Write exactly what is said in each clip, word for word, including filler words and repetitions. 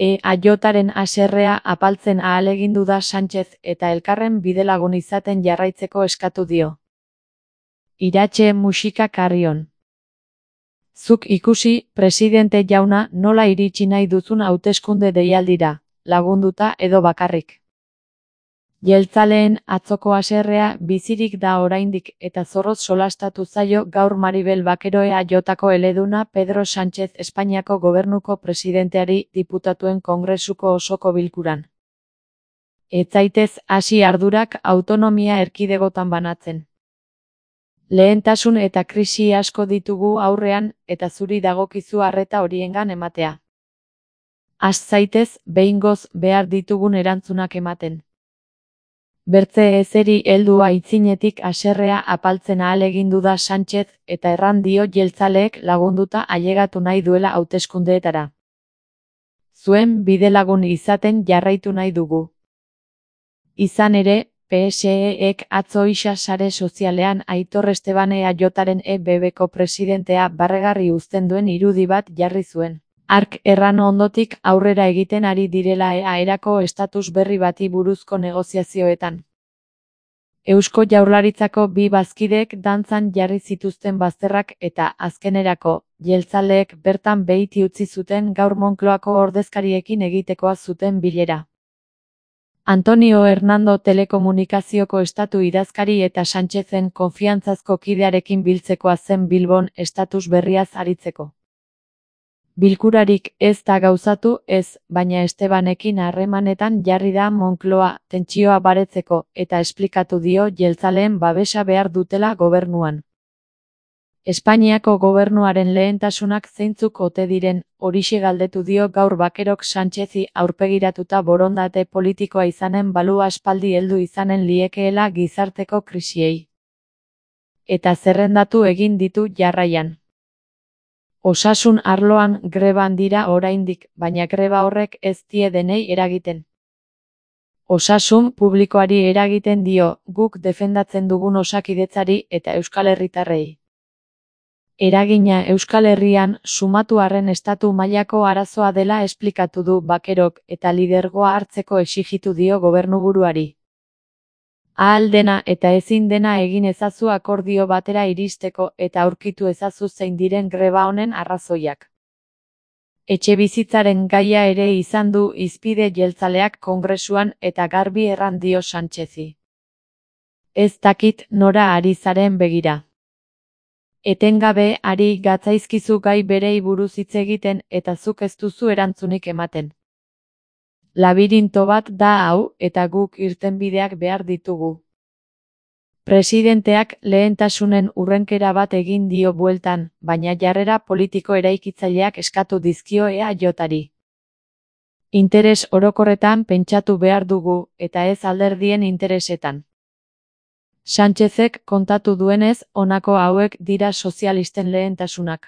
E A Jaren haserrea apaltzen ahalegindu da Sánchez eta elkarren bidelagun izaten jarraitzeko eskatu dio. Iratxe musika Carrion. Zuk ikusi, presidente jauna, nola iritsi nahi duzun hauteskunde deialdira, lagunduta edo bakarrik. Jeltzaleen atzoko haserrea bizirik da oraindik eta zorroz solastatu zaio gaur Maribel Bakero E A Jko eleduna Pedro Sánchez Espainiako gobernuko presidenteari diputatuen kongresuko osoko bilkuran. Ez zaitez hasi ardurak autonomia erkidegotan banatzen. Lehentasun eta krisi asko ditugu aurrean eta zuri dagokizu arreta horiengan ematea. Has zaitez behingoz behar ditugun erantzunak ematen. Bertze ezeri heldu aitzinetik haserrea apaltzen ahalegindu da Sánchez eta erran dio jeltzaleek lagunduta ailegatu nahi duela hauteskundeetara. Zuen bidelagun izaten jarraitu nahi dugu. Izan ere, P S E-ek atzo isa sare sozialean Aitor Esteban E A Jaren E B B-ko presidentea barregarri uzten duen irudi bat jarri zuen. Hark erran ondotik aurrera egiten ari direla E A erako estatus berri bati buruzko negoziazioetan. Eusko Jaurlaritzako bi bazkideek dantzan jarri zituzten bazterrak eta azkenerako, jeltzaleek bertan behiti utzi zuten gaur Moncloako ordezkariekin egitekoa zuten bilera. Antonio Hernando telekomunikazioko estatu idazkari eta Sánchezen konfiantzazko kidearekin biltzekoa zen Bilbon estatus berriaz aritzeko. Bilkurarik ez da gauzatu ez, baina Estebanekin harremanetan jarri da Moncloa tentsioa baretzeko eta esplikatu dio jeltzaleen babesa behar dutela gobernuan. Espainiako gobernuaren lehentasunak zeintzuk ote diren, horixe galdetu dio gaur Bakerok Sánchezi aurpegiratuta borondate politikoa izanen balu aspaldi heldu izanen liekeela gizarteko krisiei. Eta zerrendatu egin ditu jarraian. Osasun arloan greban dira oraindik, baina greba horrek ez die denei eragiten. Osasun publikoari eragiten dio, guk defendatzen dugun osakidetzari eta Euskal Herritarrei. Eragina Euskal Herrian sumatu arren estatu mailako arazoa dela esplikatu du Bakerok eta lidergoa hartzeko exijitu dio gobernuburuari. Ahal dena eta ezin dena egin ezazu akordio batera iristeko eta aurkitu ezazu zein diren greba honen arrazoiak. Etxebizitzaren gaia ere izan du hizpide jeltzaleak kongresuan eta garbi erran dio Sánchezi. Ez dakit nora ari zaren begira. Etengabe ari gatzaizkizu gai berei buruz hitz egiten eta zuk ez duzu erantzunik ematen. Labirinto bat da hau eta guk irtenbideak behar ditugu. Presidenteak lehentasunen urrenkera bat egin dio bueltan, baina jarrera politiko eraikitzaileak eskatu dizkio E A Jari. Interes orokorretan pentsatu behar dugu eta ez alderdien interesetan. Sánchezek kontatu duenez, honako hauek dira sozialisten lehentasunak.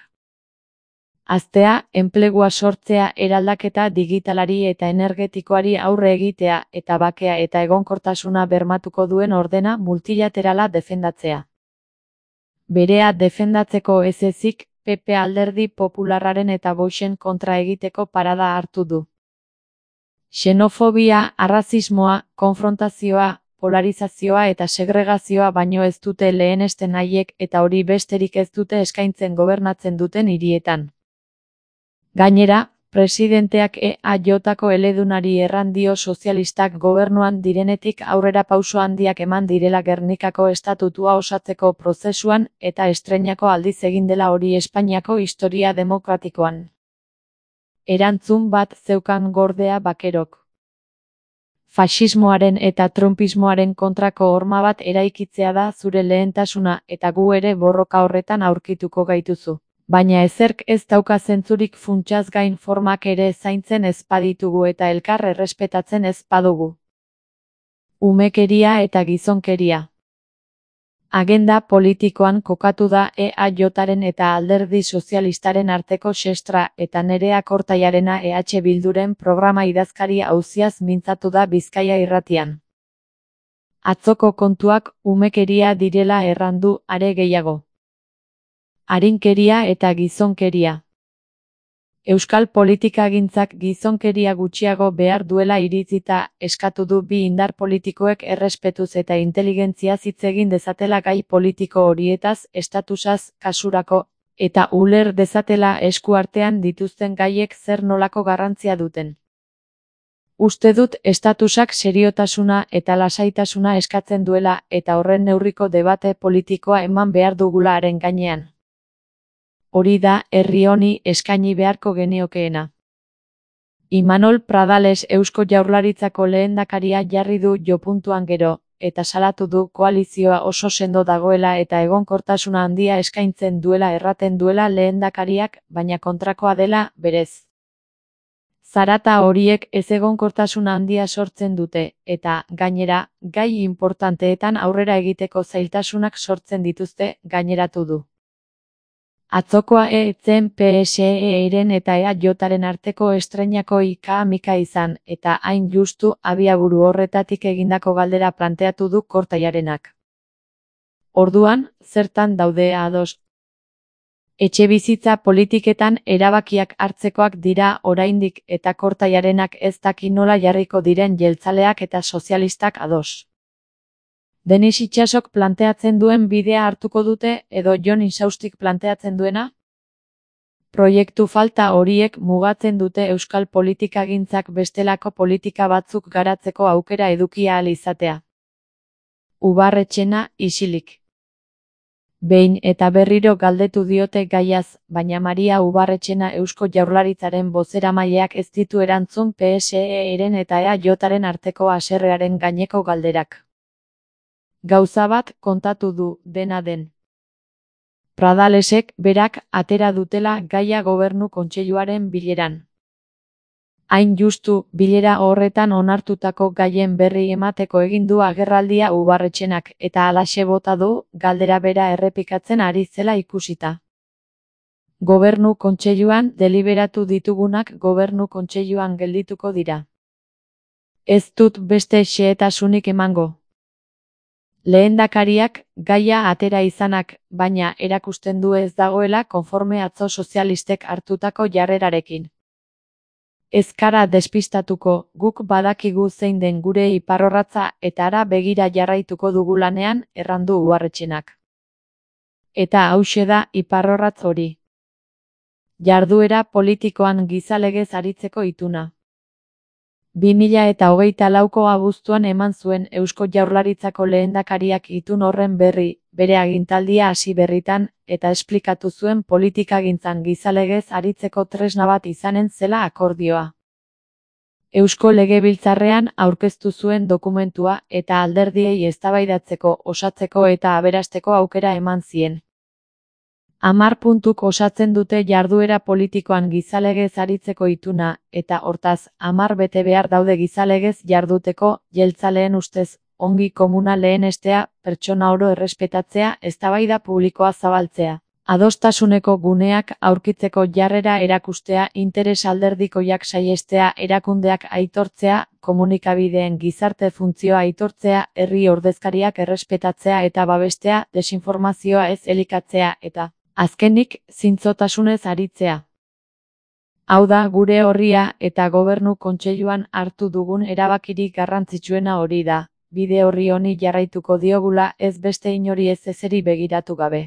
Haztea, enplegua sortzea, eraldaketa digitalari eta energetikoari aurre egitea eta bakea eta egonkortasuna bermatuko duen ordena multilaterala defendatzea. Berea defendatzeko ez ezik, P P alderdi popularraren eta Voxen kontra egiteko parada hartu du. Xenofobia, arrazismoa, konfrontazioa, polarizazioa eta segregazioa baino ez dute lehenesten haiek eta hori besterik ez dute eskaintzen gobernatzen duten hirietan. Gainera, presidenteak E A Jko eledunari erran dio sozialistak gobernuan direnetik aurrera pauso handiak eman direla Gernikako estatutua osatzeko prozesuan eta estreinako aldiz egin dela hori Espainiako historia demokratikoan. Erantzun bat zeukan gordea Bakerok. Faxismoaren eta trumpismoaren kontrako horma bat eraikitzea da zure lehentasuna eta gu ere borroka horretan aurkituko gaituzu. Baina ezerk ez dauka zentzurik funtsaz gain formak ere zaintzen ez baditugu eta elkar errespetatzen ez badugu. Umekeria eta gizonkeria. Agenda politikoan kokatu da E A Jaren eta alderdi sozialistaren arteko xestra eta Nerea Kortaiarena E H Bilduren programa idazkari auziaz mintzatu da Bizkaia irratian. Atzoko kontuak umekeria direla errandu are gehiago. Arinkeria eta gizonkeria. Euskal politikagintzak gizonkeria gutxiago behar duela iritzita eskatu du bi indar politikoek errespetuz eta inteligentziaz hitz egin dezatela gai politiko horietaz estatusaz kasurako, eta uler dezatela eskuartean dituzten gaiek zer nolako garrantzia duten. Uste dut estatusak seriotasuna eta lasaitasuna eskatzen duela eta horren neurriko debate politikoa eman behar dugula haren gainean. Hori da herri honi eskaini beharko geniokeena. Imanol Pradales Eusko Jaurlaritzako lehendakaria jarri du jopuntuan gero, eta salatu du koalizioa oso sendo dagoela eta egonkortasuna handia eskaintzen duela erraten duela lehendakariak, baina kontrakoa dela, berez. Zarata horiek ezegonkortasuna handia sortzen dute, eta, gainera, gai inportanteetan aurrera egiteko zailtasunak sortzen dituzte, gaineratu du. Atzokoa ez zen P S E-ren eta E A Jaren arteko estreinako ika-mika izan, eta hain justu abiaburu horretatik egindako galdera planteatu du Kortaiarenak. Orduan, zertan daude ados? Etxebizitza politiketan erabakiak hartzekoak dira oraindik eta Kortaiarenak ez daki nola jarriko diren jeltzaleak eta sozialistak ados. Denis Itsasok planteatzen duen bidea hartuko dute edo Jon Insaustik planteatzen duena? Proiektu falta horiek mugatzen dute euskal politikagintzak bestelako politika batzuk garatzeko aukera eduki ahal izatea. Ubarretxena isilik. Behin eta berriro galdetu diote gaiaz, baina Maria Ubarretxena Eusko Jaurlaritzaren bozeramaileak ez ditu erantzun P S E-ren eta E A Jaren arteko haserrearen gaineko galderak. Gauza bat kontatu du, dena den. Pradalesek berak atera dutela gaia gobernu kontseiluaren bileran. Hain justu, bilera horretan onartutako gaien berri emateko egin du agerraldia Ubarretxenak eta halaxe bota du, galdera bera errepikatzen ari zela ikusita. Gobernu kontseiluan deliberatu ditugunak gobernu kontseiluan geldituko dira. Ez dut beste xehetasunik emango. Lehendakariak gaia atera izanak, baina erakusten du ez dagoela konforme atzo sozialistek hartutako jarrerarekin. Ez kara despistatuko, guk badakigu zein den gure iparrorratza eta hara begira jarraituko dugu lanean, errandu Ubarretxenak. Eta hauxe da iparrorratz hori. Jarduera politikoan gizalegez aritzeko ituna. bi mila eta hogeita lauko abuztuan eman zuen Eusko Jaurlaritzako lehendakariak itun horren berri, bere agintaldia hasi berritan, eta esplikatu zuen politikagintzan gizalegez aritzeko tresna bat izanen zela akordioa. Eusko Legebiltzarrean aurkeztu zuen dokumentua eta alderdiei eztabaidatzeko, osatzeko eta aberasteko aukera eman zien. Hamar puntuk osatzen dute jarduera politikoan gizalegez aritzeko ituna, eta hortaz, hamar bete behar daude gizalegez jarduteko, jeltzaleen ustez, ongi komuna lehenestea, pertsona oro errespetatzea, eztabaida publikoa zabaltzea. Adostasuneko guneak aurkitzeko jarrera erakustea, interes alderdikoiak saihestea, erakundeak aitortzea, komunikabideen gizarte funtzioa aitortzea, herri ordezkariak errespetatzea eta babestea, desinformazioa ez elikatzea eta azkenik, zintzotasunez aritzea. Hau da gure orria eta gobernu kontseiluan hartu dugun erabakirik garrantzitsuena hori da, bide orri honi jarraituko diogula ez beste inori ez ezeri begiratu gabe.